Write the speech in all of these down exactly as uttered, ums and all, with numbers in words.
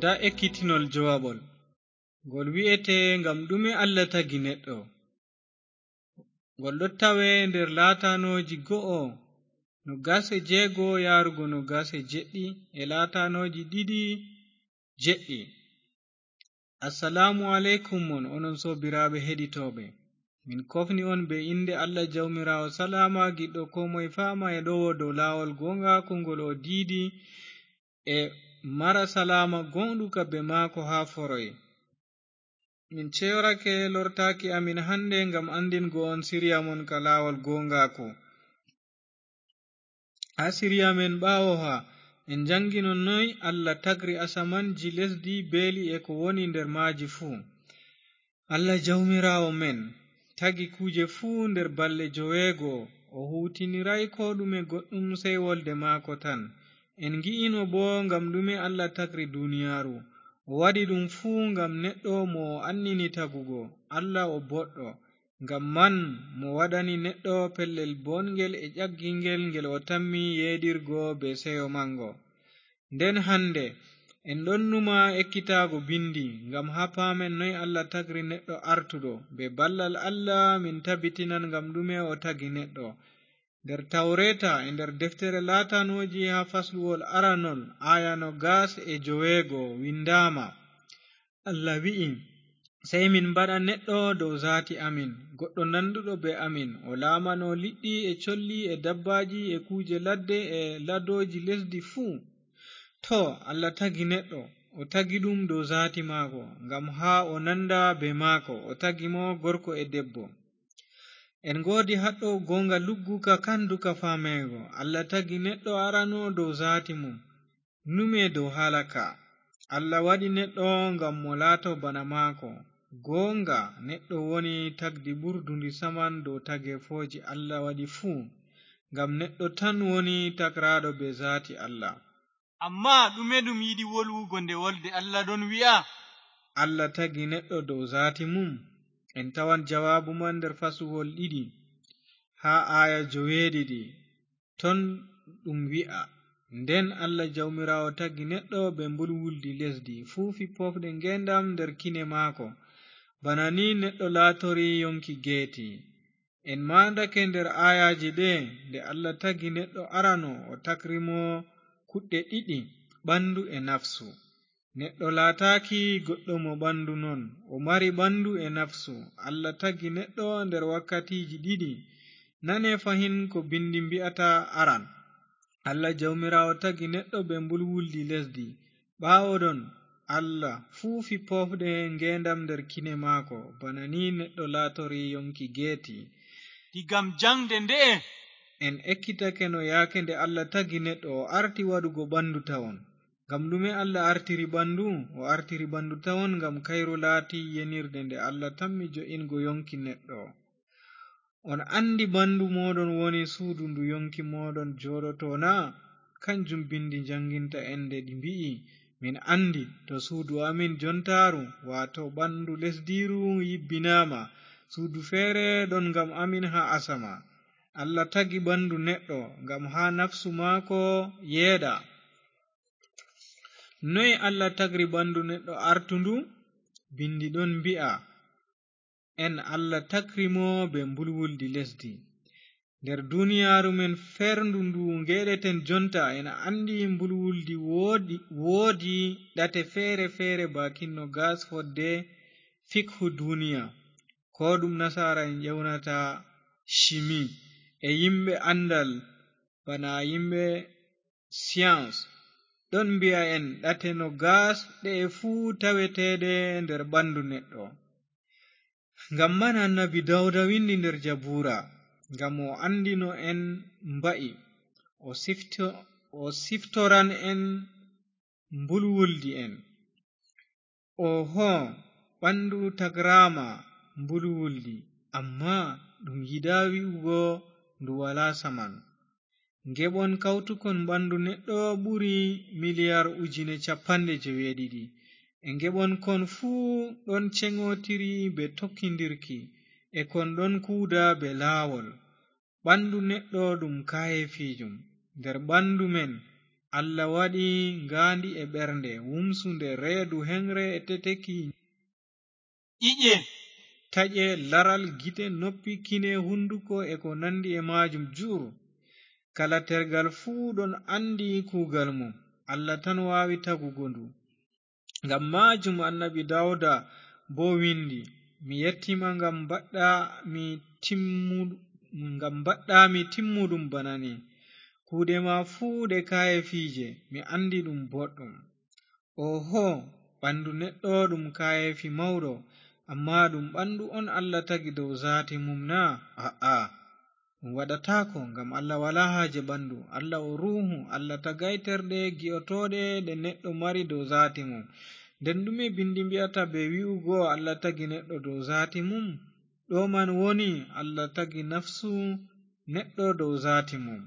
Ndaa ekkitinol jowaɓol. Ngol wi'etee, "Ngam ɗume Allah tagi neɗɗo?" Ngol ɗo tawee nder laatanooji go'o, nogas e jeego yaarugo nogas e jeɗɗi, e laatanooji ɗiɗi jeɗɗi. Assalaamu aleykum mon, onon soobiraaɓe heɗitooɓe. Min kofni on bee innde Allah Jawmiraawo Salaama, giɗɗo koo moy faama e ɗowo dow laawol gooŋgaaku ngol o diidi, e mara salaama gooŋɗuka bee maako haa foroy. Min ceyorake lortaaki amin hannde ngam anndingo on siriya mon ka laawol gooŋgaaku. Haa siriya men ɓaawoha, en njannginon noy Allah tagri asamanji, lesdi, beeli e ko woni nder maaji fuu. Allah Jawmiraawo men tagi kuuje fuu nder balɗe joweego, o huutiniraay koo ɗume goɗɗum sey wolde maako tan. En ngi'ino boo ngam ɗume Allah tagri duniyaaru. O waɗi ɗum fuu ngam neɗɗo mo o annini tagugo. Allah o boɗɗo. Ngam man mo waɗani neɗɗo pellel booɗngel e ƴaggingel ngel o tammi yeeɗirgo bee seyo maŋgo. Nden hannde, en ɗon numa ekkitaago bindi, ngam haa paamen noy Allah tagri neɗɗo artuɗo, bee ballal Allah min tabitinan ngam ɗume o tagi neɗɗo. Nder Tawreeta e nder deftere laatanooji haa fasluwol aranol, aaya nogas e joweego winndaama. Allah wi'i, "Sey min mbaɗa neɗɗo dow zaati amin, goɗɗo nanduɗo bee amin, o laamano liɗɗi e colli e dabbaaji e kuuje ladde e ladooji lesdi fuu." Too, Allah tagi neɗɗo, o tagi ɗum dow zaati maako, ngam haa o nanda bee maako, o tagi mo gorko e debbo. En ngoodi haɗɗo gooŋga lugguka kanduka faameego. Allah tagi neɗɗo arano dow zaati mum. Nume dow haala ka. Allah waɗi neɗɗo ngam mo laato bana maako. Gooŋga, neɗɗo woni tagdi ɓurdundi saman dow tageefooji Allah waɗi fuu, ngam neɗɗo tan woni tagraaɗo bee zaati Allah. Ammaa ɗume ɗum yiɗi wolwugo nde wolde Allah ɗon wi'a? Allah tagi neɗɗo dow zaati mum. En tawan jawaabu man nder fasluwol ɗiɗi, haa aaya joweeɗiɗi. Ton ɗum wi'a, "Nden Allah Jawmiraawo tagi neɗɗo bee mbulwuldi lesdi, fuufi poofɗe ngeendam nder kine maako." Bana ni neɗɗo laatori yonki geeti. En maandake nder aayaaje ɗe, nde Allah tagi neɗɗo arano, o takri mo kuɗɗe ɗiɗi, ɓandu e nafsu. Neɗɗo laataaki goɗɗo mo ɓandu non, o mari ɓandu e nafsu. Allah tagi neɗɗo nder wakkatiiji ɗiɗi. Nane fahin ko bindi mbi'ata aran. Allah Jawmiraawo tagi neɗɗo bee mbulwuldi lesdi. Ɓaawo ɗon, Allah fuufi poofɗe ngeendam nder kine maako, bana ni neɗɗo laatori yonki geeti. Digam jaŋde nde'e, en ekkitake no yaake nde Allah tagi neɗɗo, o arti waɗugo ɓandu tawon. Ngam ɗume Allah artiri ɓandu? O artiri ɓandu tawon ngam kayru laati yenirde nde Allah tammi jo'ingo yonki neɗɗo. On anndi ɓandu mooɗon woni suudu ndu yonki mooɗon jooɗoto na? Kanjum bindi njanginta en nde ɗi mbi'i, "Min anndi to suudu amin jontaaru, waato ɓandu lesdiiru yibbinaama, suudu feere ɗon ngam amin haa asama." Allah tagi ɓandu neɗɗo ngam haa nafsu maako yeeɗa. Noy Allah tagri ɓandu neɗɗo artundu? Bindi ɗon mbi'a en Allah tagri mo bee mbulwuldi lesdi. Nder duniyaaru men ferndu ndu ngeɗeten jonta, en anndi mbulwuldi woodi, woodi ɗate feere-feere baakin nogas fodde fikhu duniya, ko ɗum nasaara en ƴewnata shimi, e yimɓe anndal bana yimɓe science ɗon mbi'a en ɗate nogas ɗe'e fuu taweteeɗe nder ɓandu neɗɗo. Ngam man Annabi Dawuda windi nder Jabuura, ngam o anndino en mba'i, o sifto-, o siftoran en mbulwuldi en. Oho, ɓandu tagraama mbulwuldi, ammaa ɗum yiɗaa wi'ugo ndu walaa saman. Ngeɓon kawtukon ɓandu neɗɗo ɓuri miliyar ujine cappanɗe joweeɗiɗi. E ngeɓon kon fuu ɗon ceŋotiri bee tokkindirki, e kon ɗon kuuda bee laawol. Ɓandu neɗɗo ɗum kaayeefiijum. Nder ɓandu men Allah waɗi ngaandi e ɓernde, wumsunde, reedu, heŋre e teteki, ƴiƴe, taƴe, laral, gite, noppi, kine, hunduko e ko nandi e maajum jur. Kala tergal fuu ɗon andi kuugal mum. Allah tan waawi tagugo ndu. Ngam maajum Annabi Dawuda boo windi, "Mi yettima ngam mbaɗɗa mi timmu-, ngam mbaɗɗa mi timmuɗum bana ni. Kuuɗe ma fuu ɗe kaayeefiije, mi andi ɗum boɗɗum." Oho, ɓandu neɗɗo ɗum kaayeefi mawɗo, ammaa ɗum ɓandu on Allah tagi dow zaati mum na? A'a, ɗum waɗataako, ngam Allah walaa haaje ɓandu. Allah o ruuhu, Allah tagay terɗe gi'otooɗe ɗe neɗɗo mari dow zaati mum. Nden ɗume bindi mbi'ata bee wi'ugo Allah tagi neɗɗo dow zaati mum? Ɗo man woni Allah tagi nafsu neɗɗo dow zaati mum.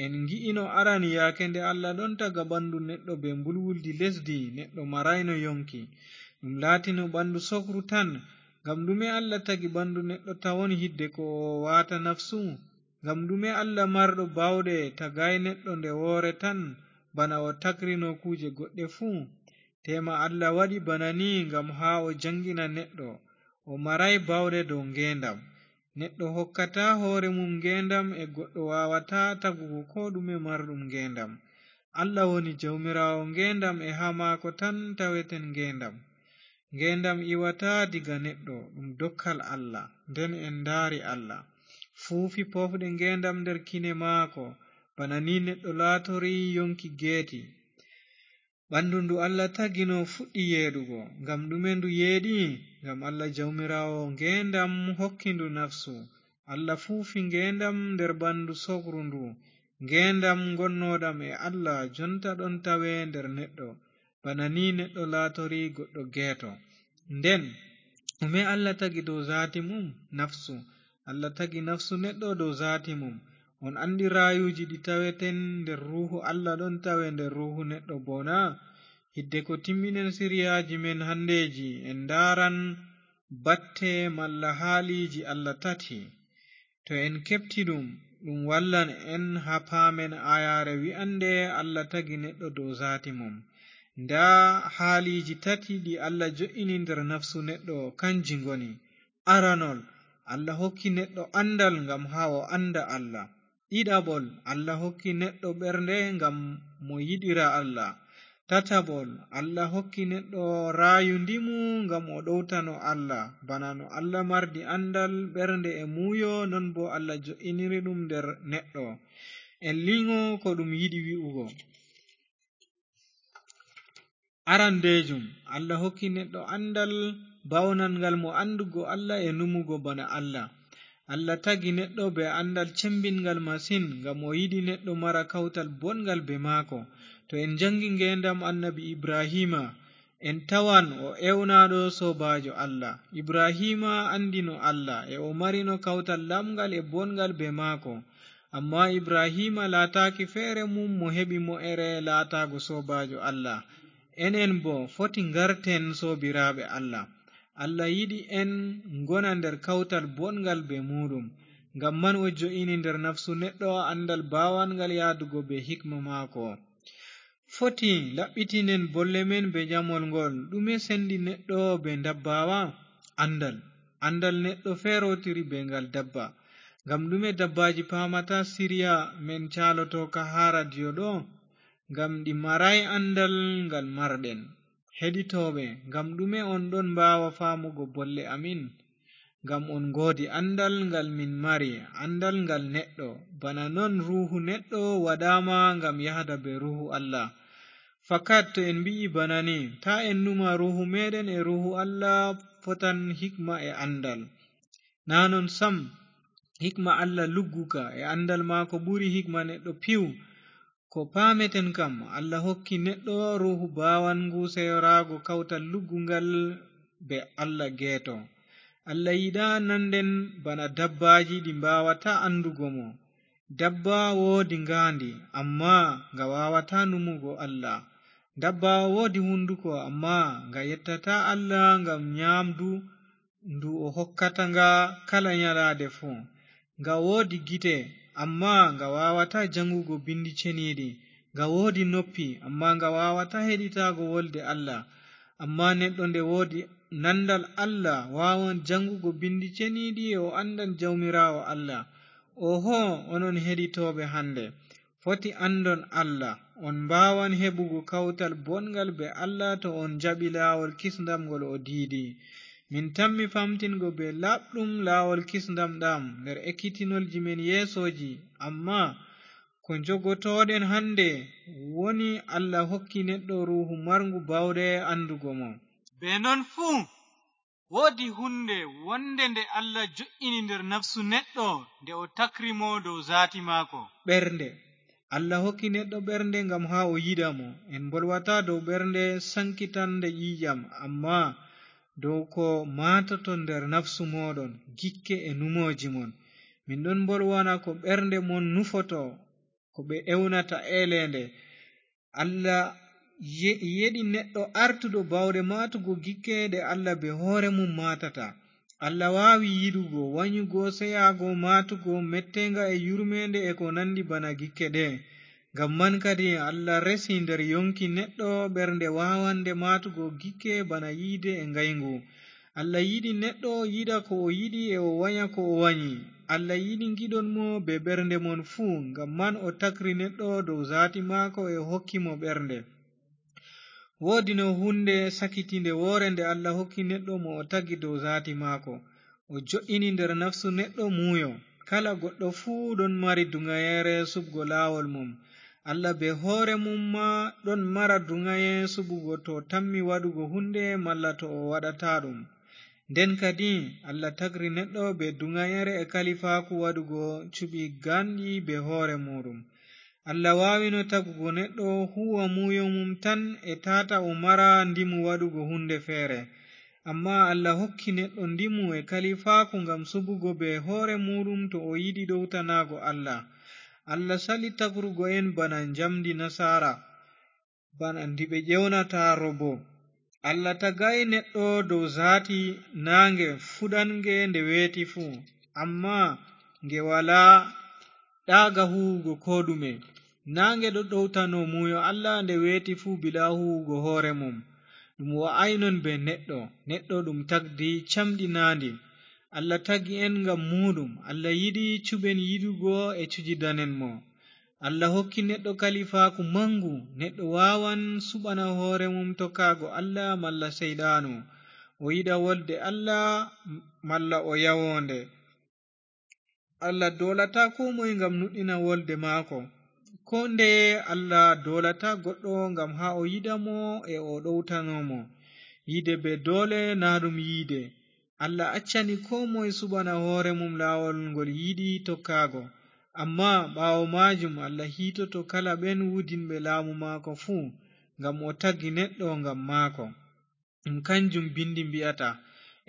En ngi'ino arani yaake nde Allah ɗon taga ɓandu neɗɗo bee mbulwuldi lesdi, neɗɗo marayno yonki. Ɗum laatino ɓandu sokru tan. Ngam ɗume Allah tagi ɓandu neɗɗo tawon hidde ko o waata nafsu? Ngam ɗume Allah marɗo baawɗe tagaay neɗɗo nde woore tan, bana o tagrino kuuje goɗɗe fuu? Teema Allah waɗi bana ni ngam haa o jaŋgina neɗɗo. O maraay baawɗe dow ngeendam. Neɗɗo hokkataa hoore mum ngeendam e goɗɗo waawataa tagugo koo ɗume marɗum ngeendam. Allah woni Jawmiraawo ngeendam e haa maako tan taweten ngeendam. Ngeendam iwataa diga neɗɗo, ɗum dokkal Allah. Nden en ndaari Allah. Fuufi poofɗe ngeendam nder kine maako, bana ni neɗɗo laatori yonki geeti. Ɓandu ndu Allah tagino fuɗɗi yeeɗugo. Ngam ɗume ndu yeeɗi? Ngam Allah Jawmiraawo ngeendam hokki ndu nafsu. Allah fuufi ngeendam nder ɓandu sokru ndu. Ngeendam ngonnooɗam e Allah jonta ɗon tawe nder neɗɗo. Bana ni neɗɗo laatori goɗɗo geeto. Nden, ɗume Allah tagi dow zaati mum? Nafsu. Allah tagi nafsu neɗɗo dow zaati mum. On andi raayuuji ɗi taweten nder ruuhu Allah ɗon tawe nder ruuhu neɗɗo boo na? Hidde ko timminen siriyaaji men handeeji, en ndaaran batte malla haaliiji Allah tati. To en keɓti ɗum, ɗum wallan en haa paamen aayaare wi'annde Allah tagi neɗɗo dow zaati mum. Ndaa haaliiji tati ɗi Allah jo'ini nder nafsu neɗɗo, kanji ngoni: aranol, Allah hokki neɗɗo anndal ngam haa o annda Allah. Ɗiɗaɓol, Allah hokki neɗɗo ɓernde ngam mo yiɗira Allah. Tataɓol, Allah hokki neɗɗo raayu ndimu ngam o ɗowtano Allah. Bana no Allah mardi anndal, ɓernde e muuyo, non boo Allah jo'iniri ɗum nder neɗɗo. En liŋo ko ɗum yiɗi wi'ugo. Arandeejum, Allah hokki neɗɗo anndal bawnangal mo anndugo Allah e numugo bana Allah. Allah tagi neɗɗo bee anndal cembinngal masin, ngam o yiɗi neɗɗo mara kawtal boɗngal bee maako. To en janngi ngeendam Annabi Ibrahiima, en tawan o ewnaaɗo soobaajo Allah. Ibrahiima anndino Allah, e o marino kawtal lamngal e boɗngal bee maako. Ammaa Ibrahiima laataaki feere mum mo heɓi mo ere laataago soobaajo Allah. Enen boo foti ngarten soobiraaɓe Allah. Allah yiɗi en ngona nder kawtal boɗngal bee muuɗum. Ngam man o jo'ini nder nafsu neɗɗo anndal baawangal yahdugo bee hikma maako. Foti laɓɓitinen bolle men bee jamol ngol. Ɗume sendi neɗɗo bee ndabbaawa? Anndal. Anndal neɗɗo feerotiri bee ngal dabba. Ngam ɗume dabbaaji paamata siriya men caalotooka haa radiyo ɗo? Ngam ɗi maraay anndal ngal marɗen. Heɗitooɓe, ngam ɗume on ɗon mbaawa faamugo bolle amin? Ngam on ngoodi anndal ngal min mari, anndal ngal neɗɗo. Bana non ruuhu neɗɗo waɗaama ngam yahda bee ruuhu Allah. Fakat to en mbi'i bana ni, taa en numa ruuhu meeɗen e ruuhu Allah fotan hikma e anndal. Naa non sam, hikma Allah lugguka e anndal maako ɓuri hikma neɗɗo piw. Ko paameten kam, Allah hokki neɗɗo ruuhu baawangu seyoraago kawtal luggungal bee Allah geeto. Allah yiɗaa nannden bana dabbaaji ɗi mbaawataa anndugo mo. Dabba woodi ngaandi, ammaa nga waawataa numugo Allah. Dabba woodi hunduko, ammaa nga yettataa Allah ngam nyaamdu ndu o hokkata nga kala nyalaade fuu. Nga woodi gite, ammaa nga waawataa jaŋgugo binndi ceniiɗi. Nga woodi noppi, ammaa nga waawataa heɗitaago wolde Allah. Ammaa neɗɗo nde woodi nandal Allah, waawan jangugo bindi ceniiɗi e o andan Jawmiraawo Allah. Oho, onon heɗitooɓe hande, foti andon Allah. On mbaawan heɓugo kawtal bongal be Allah to on jaɓi laawol kisndam ngol o diidi. Min tammi famtingo be laaɓɗum laawol kisndam ɗam nder ekkitinolji men yeesooji, ammaa ko njogotooɗen hande woni Allah hokki neɗɗo ruuhu marngu baawɗe andugo mo. Be non fuu, woodi hunde wonde nde Allah jo'ini nder nafsu neɗɗo nde o takri mo dow zaati maako. Ɓernde. Allah hokki neɗɗo ɓernde ngam haa o yiɗa mo. En mbolwataa dow ɓernde sankitande ƴiiƴam, ammaa dow ko maatoto nder nafsu mooɗon, gikke e numooji mon. Min ɗon mbolwana ko ɓernde mon nufoto, ko ɓe ewnata eeleende. Allah ye-, yeɗi neɗɗo artuɗo baawɗe maatugo gikke ɗe Allah be hoore mum maatata. Allah waawi yiɗugo, wanyugo, seyaago, maatugo, metteeŋga e yurmeende e ko nandi bana gikke ɗe. Ngam man kadi Allah resi nder yonki neɗɗo ɓernde waawande maatugo gikke bana yiide e ngayngu. Allah yiɗi neɗɗo yiɗa ko o yiɗi e o wanya ko o wanyi. Allah yiɗi ngiɗon mo be ɓernde mon fuu, ngam man o takri neɗɗo dow zaati maako e o hokki mo ɓernde. Woodino hunde sakitinde woore nde Allah hokki neɗɗo mo o tagi dow zaati maako. O jo'ini nder nafsu neɗɗo muuyo. Kala goɗɗo fuu ɗon mari duŋayeere suɓgo laawol mum. Allah be hoore mum ma ɗon mara duŋaye suɓugo to tammi waɗugo hunde malla to o waɗataa ɗum. Nden kadi, Allah tagri neɗɗo be duŋayeere e kalifaaku waɗugo cuɓi ganɗi be hoore muuɗum. Allah waawino tagugo neɗɗo huuwa muuyo mum tan e taata o mara ndimu waɗugo hunde feere. Ammaa Allah hokki neɗɗo ndimu e kalifaaku ngam suɓugo be hoore muuɗum to o yiɗi ɗowtanaago Allah. Allah sali tagrugo en bana njamndi nasaara, bana ndi ɓe ƴewnata robo. Allah tagaay neɗɗo dow zaati naaŋge fuɗanŋge nde weeti fuu, ammaa nge walaa ɗaaga huuwugo koo ɗume. Naaŋge ɗo ɗowtano muuyo Allah nde weeti fuu bilaa huuwugo hoore mum. Ɗum wa'aay non bee neɗɗo, neɗɗo ɗum tagdi camɗinaandi. Allah tagi en ngam muuɗum. Allah yiɗi cuɓen yiɗugo e cujidanen mo. Allah hokki neɗɗo kalifaaku maŋgu. Neɗɗo waawan suɓana hoore mum tokkaago Allah malla Seyɗaanu, o yiɗa wolde Allah malla o yawo nde. Allah doolataa koo moy ngam nuɗɗina wolde maako. Koo ndeye Allah doolataa goɗɗo ngam haa o yiɗa mo e o ɗowtano mo. Yiide bee doole naa ɗum yiide. Allah accani koo moy suɓana hoore mum laawol ngol yiɗi tokkaago. Ammaa ɓaawo maajum Allah hiitoto kala ɓen wudinɓe laamu maako fuu, ngam o tagi neɗɗo ngam maako. Ɗum kanjum bindi mbi'ata,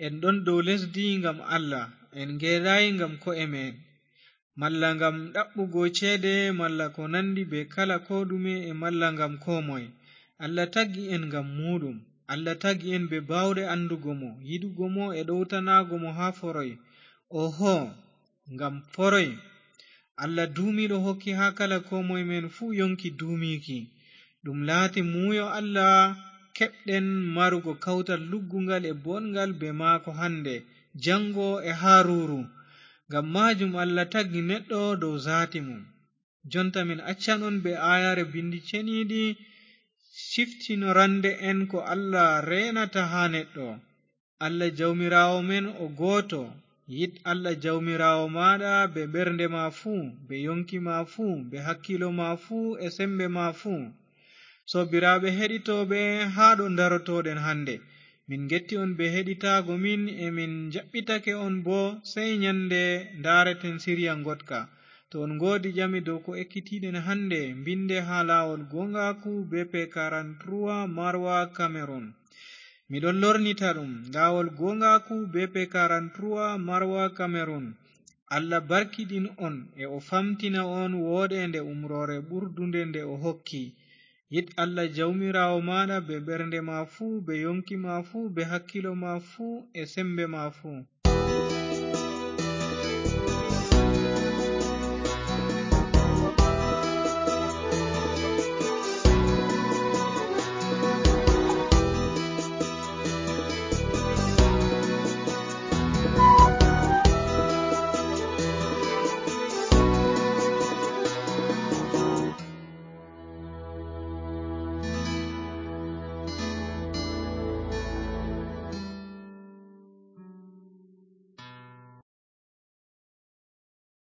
en ɗon dow lesdi ngam Allah, en ngeeɗaay ngam ko'e me'en, malla ngam ɗaɓɓugo ceede, malla ko nandi bee kala koo ɗume, e malla ngam koo moy. Allah tagi en ngam muuɗum. Allah tagi en bee baawɗe andugo mo, yiɗugo mo e ɗowtanaago mo haa foroy. Oho, ngam foroy. Allah duumiiɗo hokki haa kala koo moy men fuu yonki duumiiki. Ɗum laati muuyo Allah keɓɗen marugo kawtal lugguŋgal e bonŋgal bee maako hande, jaŋgo e haa ruuru. Ngam maajum Allah tagi neɗɗo dow zaati mum. Jonta min accan on bee aayaare bindi ceniiɗi ciftinorande en ko Allah reenata haa neɗɗo. Allah Jawmiraawo men o gooto. Yiɗ Allah Jawmiraawo maaɗa bee ɓernde ma fuu, bee yonki ma fuu, bee hakkiilo ma fuu e sembe ma fuu. Soobiraaɓe heɗitooɓe, haa ɗo ndarotooɗen hande. Min ngetti on bee heɗitaago min, e min njaɓɓitake on boo, sey nyande ndaareten siriya ngoɗka. To on ngoodi ƴami dow ko ekkitiiɗen hande, mbinde haa laawol gooŋgaaku B P quarante-trois Marwa Cameroon. Miɗon lornita ɗum, laawol gooŋgaaku B P quarante-trois Marwa Cameroon. Allah barkiɗin on e o famtina on wooɗeende umroore ɓurdunde nde o hokki. Yiɗ Allah Jawmiraawo maaɗa bee ɓernde ma fuu, bee yonki ma fuu, bee hakkiilo ma fuu, e sembe ma fuu.